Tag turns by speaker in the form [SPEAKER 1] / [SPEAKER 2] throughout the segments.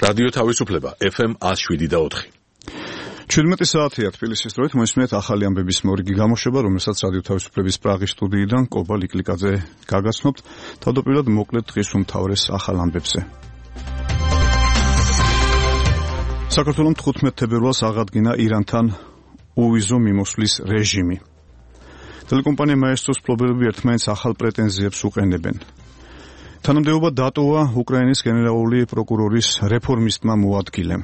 [SPEAKER 1] რადიო თავისუფლება FM 107.4.
[SPEAKER 2] 17 საათია თბილისის დროით მოისმენთ ახალი ამბების მორიგი გამოშვება, რომელსაც რადიო თავისუფლების პრაღის სტუდიიდან კობა ლიკლიკაძე გაგაცნობთ. თავდაპირველად მოკლედ დღის უმთავრეს ახალ ამბებზე. საქართველოს 15 თებერვალს აღადგინა ირანთან უვიზო მიმოსვლის რეჟიმი. ტელეკომპანია მაესტროს მფლობელები ერთმანეთს ახალ პრეტენზიებს უყენებენ. თანამდებობა დატოვა უკრაინის გენერალური პროკურორის რეფორმისტმა მოადგილემ.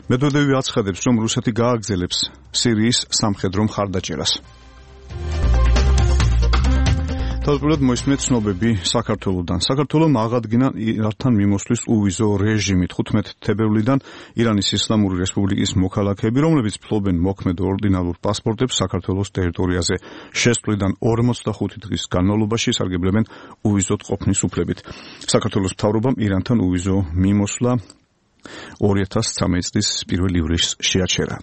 [SPEAKER 2] მედვედევი აცხადებს, რომ რუსეთი გააგრძელებს სირიის სამხედრო მხარდაჭერას. თავდაპირველად მოისმენთ ცნობები საქართველოდან. საქართველოს აღადგინა ირანთან მიმოსვლის უვიზო რეჟიმი 15 თებერვლიდან ირანის ისლამური რესპუბლიკის მოქალაქეები, რომლებიც ფლობენ მოქმედ ორდინალურ პასპორტებს საქართველოს ტერიტორიაზე შესვლიდან 45 დღის განმავლობაში სარგებლებენ უვიზოდ ყოფნის უფლებით. საქართველოს მთავრობამ ირანთან უვიზო მიმოსვლა 2013 წლის 1 ივლისს შეაჩერა.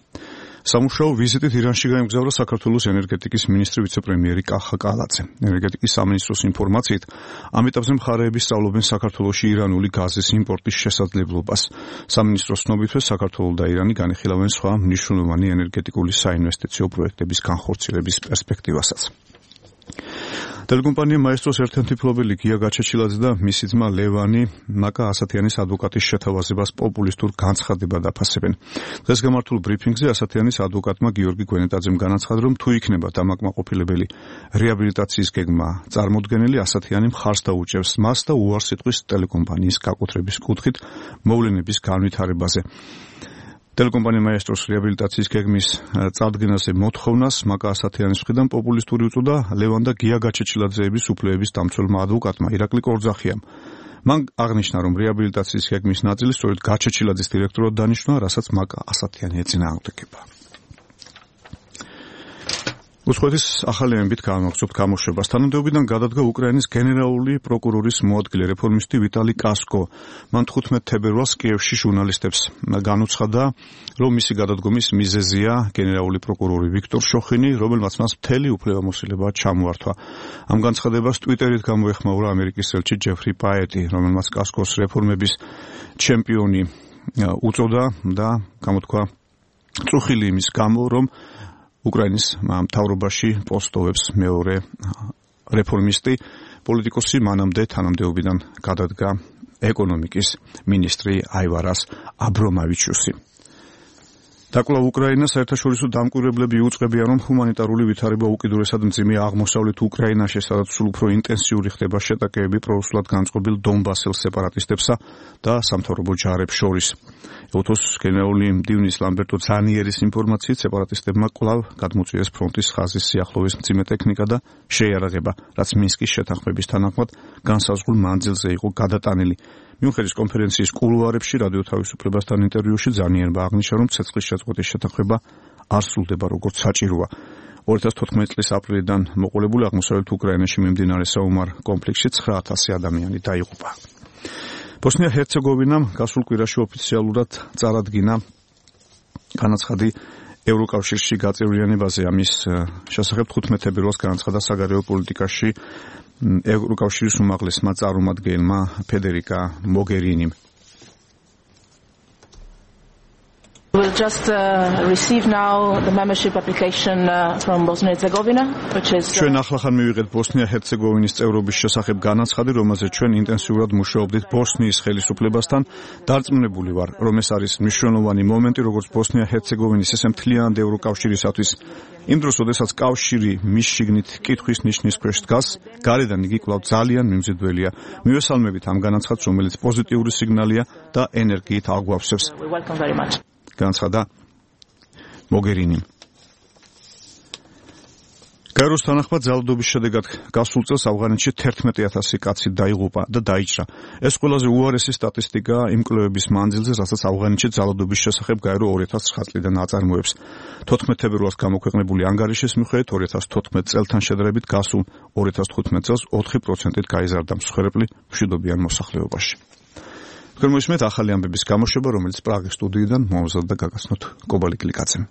[SPEAKER 2] სამუშაო ვიზიტით ირანში გაემგზავრა საქართველოს ენერგეტიკის მინისტრი ვიცე-პრემიერი კახა კალაძე. ენერგეტიკის სამინისტროს ინფორმაციით, ამ ეტაპზე მხარეები სწავლობენ საქართველოში ირანული გაზის იმპორტის შესაძლებლობას. სამინისტროს ცნობითვე საქართველო და ირანი განიხილავენ სხვა მნიშვნელოვანი ენერგეტიკული საინვესტიციო პროექტების განხორციელების პერსპექტივასაც. ტელეკომპანია მაესტროს ერთ-ერთი მფლობელი გია გაჩეჩილაძე და მისი ძმა ლევანი მაკა ასათიანის ადვოკატის შეთავაზებას პოპულისტურ განცხადებად აფასებენ. დღეს გამართულ ბრიფინგზე ასათიანის ადვოკატმა გიორგი გვენეტაძემ განაცხადა, რომ თუ იქნება დამაკმაყოფილებელი რეაბილიტაციის გეგმა წარმოდგენილი, ასათიანი მხარს დაუჭერს მას და უარს იტყვის ტელეკომპანიის გაკუთრების კუთხით მოვლენების განვითარებაზე. ტელეკომპანია მაესტროს რეაბილიტაციის გეგმის წარდგენაზე მოთხოვნას მაკა ასათიანის მხრიდან პოპულისტური უწოდა ლევან და გია გაჩეჩილაძეების უფლებების დამცველმა ადვოკატმა ირაკლი კორძახიამ. მან აღნიშნა, რომ რეაბილიტაციის გეგმის ნაწილი სწორედ გაჩეჩილაძის დირექტორად დანიშნა, რასაც მაკა ასათიანი ეწინააღმდეგება. უცხოეთის ახალი ამბით განვახსოვთ გამოშვებას. თანამდებობიდან გადადგა უკრაინის გენერალური პროკურორის მოადგილე რეფორმისტი ვიტალი კასკო. მან 15 თებერვალს კიევში ჟურნალისტებს განუცხადა, რომ მისი გადადგომის მიზეზია გენერალური პროკურორი ვიქტორ შოხინი, რომელმაც მას მთელი უფლებამოსილება ჩამოართვა. ამ განცხადებას ტვიტერით გამოეხმაურა ამერიკის ელჩი ჯეფრი პაეტი, რომელმაც კასკოს რეფორმების ჩემპიონი უწოდა და გამოთქვა წუხილი იმის გამო, რომ უკრაინის მთავრობაში პოსტოვებს მეორე რეფორმისტი პოლიტიკოსი მანამდე თანამდებობიდან გადადგა ეკონომიკის მინისტრი აივარას აბრომავიჩუსი. დაკვლავ უკრაინას საერთაშორისო დამკვირვებლები იუწყებიან, რომ ჰუმანიტარული ვითარება უკიდურესად მძიმე აღმოსავლეთ უკრაინაში, სადაც სულ უფრო ინტენსიური ხდება შეტაკებები პრორუსულად განწყობილ დონბასელ სეპარატისტებსა და სამთავრობო ჯარებს შორის. ევთოს გენერალური მდივნის ლამბერტო ძანიერის ინფორმაციით, სეპარატისტებმა კვლავ გადმოწიეს ფრონტის ხაზის სიახლოვის მძიმე ტექნიკა და შეიარაღება, რაც მინსკის შეთანხმების თანახმად განსაზღვრულ მანძილზე იყო გადატანილი. მიუხედავად კონფერენციის კულუარებში რადიო თავისუფლებასთან ინტერვიუში ძანიერმა აღნიშნა, რომ ცეცხლის შეწყვეტის შეთანხმება არ სრულდება როგორც საჭიროა. 2014 წლის აპრილიდან მოყოლებული აღმოსავლეთ უკრაინაში მიმდინარე საომარ კონფლიქტში 9000 ადამიანი დაიღუპა. ბოსნია-ჰერცეგოვინამ გასულ კვირაში ოფიციალურად წარადგინა განაცხადი ევროკავშირში გაწევრიანებაზე. ამის შესახებ 15 თებერვალს განაცხადა საგარეო პოლიტიკაში ევროკავშირის უმაღლესმა წარმომადგენელმა ფედერიკა მოგერინიმ.
[SPEAKER 3] We'll just receive now the membership application from Bosnia-Herzegovina, which is
[SPEAKER 2] ჩვენ ახლახან მივიღეთ ბოსნია-ჰერცეგოვინის წევრობის შესახებ განაცხადი, რომელზეც ჩვენ ინტენსიურად მუშაობდით ბოსნიის ხელისუფლებასთან. დარწმუნებული ვარ, რომ ეს არის მნიშვნელოვანი მომენტი როგორც ბოსნია-ჰერცეგოვინის, ისე მთლიანად ევროკავშირისათვის. იმ დროს, როდესაც კავშირი მის შიგნით კითხვის ნიშნის ქვეშ დგას, გარედან იგი კვლავ ძალიან მიმზიდველია. მივესალმებით ამ განაცხადს, რომელიც პოზიტიური სიგნალია და ენერგიით აგვავსებს. განაცხადა მოგერინიმ. გაეროს თანახმად ძალადობის შედეგად გასულ წელს ავღანეთში 11000 კაცი დაიღუპა და დაიჭრა. ეს ყველაზე უარესი სტატისტიკაა იმ კვლევების მანძილზე, რასაც ავღანეთში ძალადობის შესახებ გაერო 2009 წლიდან აწარმოებს. 14 თებერვალს გამოქვეყნებული ანგარიშის მიხედვით 2014 წელთან შედარებით გასულ 2015 წელს 4%-ით გაიზარდა მსხვერპლი მშვიდობიან მოსახლეობაში. თქვენ მოისმენთ ახალი ამბების გამოშვება, რომელიც პრაღის სტუდიიდან მომზადდა გაგაცნოთ კობა ლიკლიკაძემ.